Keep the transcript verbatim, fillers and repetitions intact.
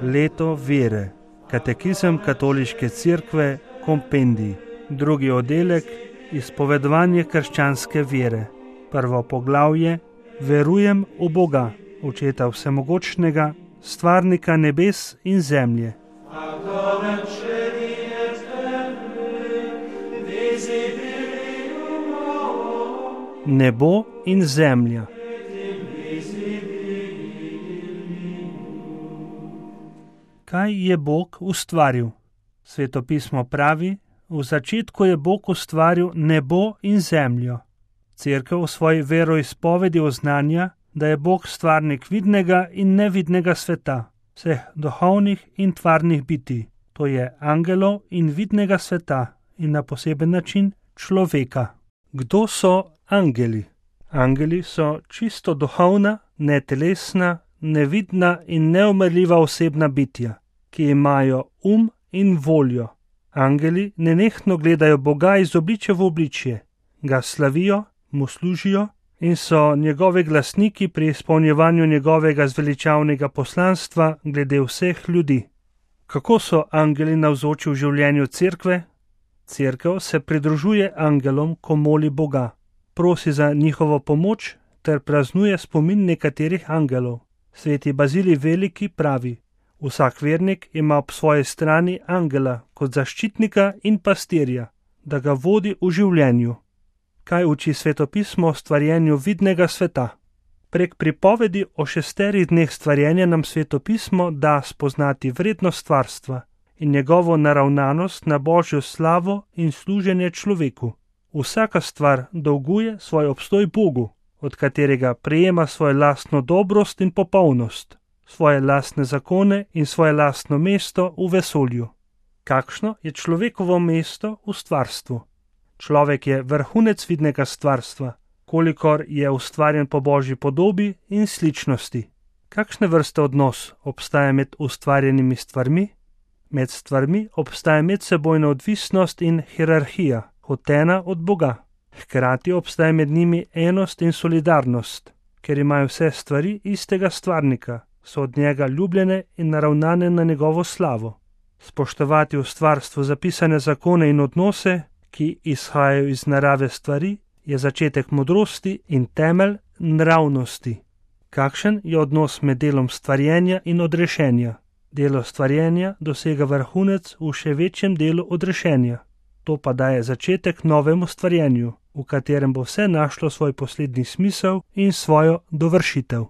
Leto vere. Katekizem Katoliške cerkve, kompendij. Drugi oddelek, izpovedovanje krščanske vere. Prvo poglavje, verujem v Boga, Očeta vsemogočnega, stvarnika nebes in zemlje. Nebo in zemlja. Kaj je Bog ustvaril? Svetopismo pravi, v začetku je Bog ustvaril nebo in zemljo. Cerkev v svoji veroizpovedi oznanja, da je Bog stvarnik vidnega in nevidnega sveta, vseh duhovnih in tvarnih bitij, to je angelov in vidnega sveta in na poseben način človeka. Kdo so angeli? Angeli so čisto duhovna, netelesna, nevidna in neumrljiva osebna bitja, ki imajo um in voljo. Angeli nenehno gledajo Boga iz obličja v obličje, ga slavijo, mu služijo in so njegovi glasniki pri izpolnjevanju njegovega zveličavnega poslanstva glede vseh ljudi. Kako so angeli navzoči v življenju cerkve? Cerkev se pridružuje angelom, ko moli Boga, prosi za njihovo pomoč ter praznuje spomin nekaterih angelov. Sveti Bazilij Veliki pravi: vsak vernik ima ob svoji strani angela kot zaščitnika in pastirja, da ga vodi v življenju. Kaj uči svetopismo o stvarjenju vidnega sveta? Prek pripovedi o šesterih dneh stvarjenja nam svetopismo da spoznati vrednost stvarstva in njegovo naravnanost na Božjo slavo in služenje človeku. Vsaka stvar dolguje svoj obstoj Bogu, od katerega prejema svojo lastno dobrost in popolnost, svoje lastne zakone in svoje lastno mesto v vesolju. Kakšno je človekovo mesto v stvarstvu? Človek je vrhunec vidnega stvarstva, kolikor je ustvarjen po Božji podobi in sličnosti. Kakšne vrste odnos obstaja med ustvarjenimi stvarmi? Med stvarmi obstaja medsebojna odvisnost in hierarhija, hotena od Boga. Hkrati obstaja med njimi enost in solidarnost, ker imajo vse stvari istega stvarnika, so od njega ljubljene in naravnane na njegovo slavo. Spoštovati v stvarstvu zapisane zakone in odnose, ki izhajajo iz narave stvari, je začetek modrosti in temelj nravnosti. Kakšen je odnos med delom stvarjenja in odrešenja? Delo stvarjenja dosega vrhunec v še večjem delu odrešenja. To pa daje začetek novemu stvarjenju, v katerem bo vse našlo svoj poslednji smisel in svojo dovršitev.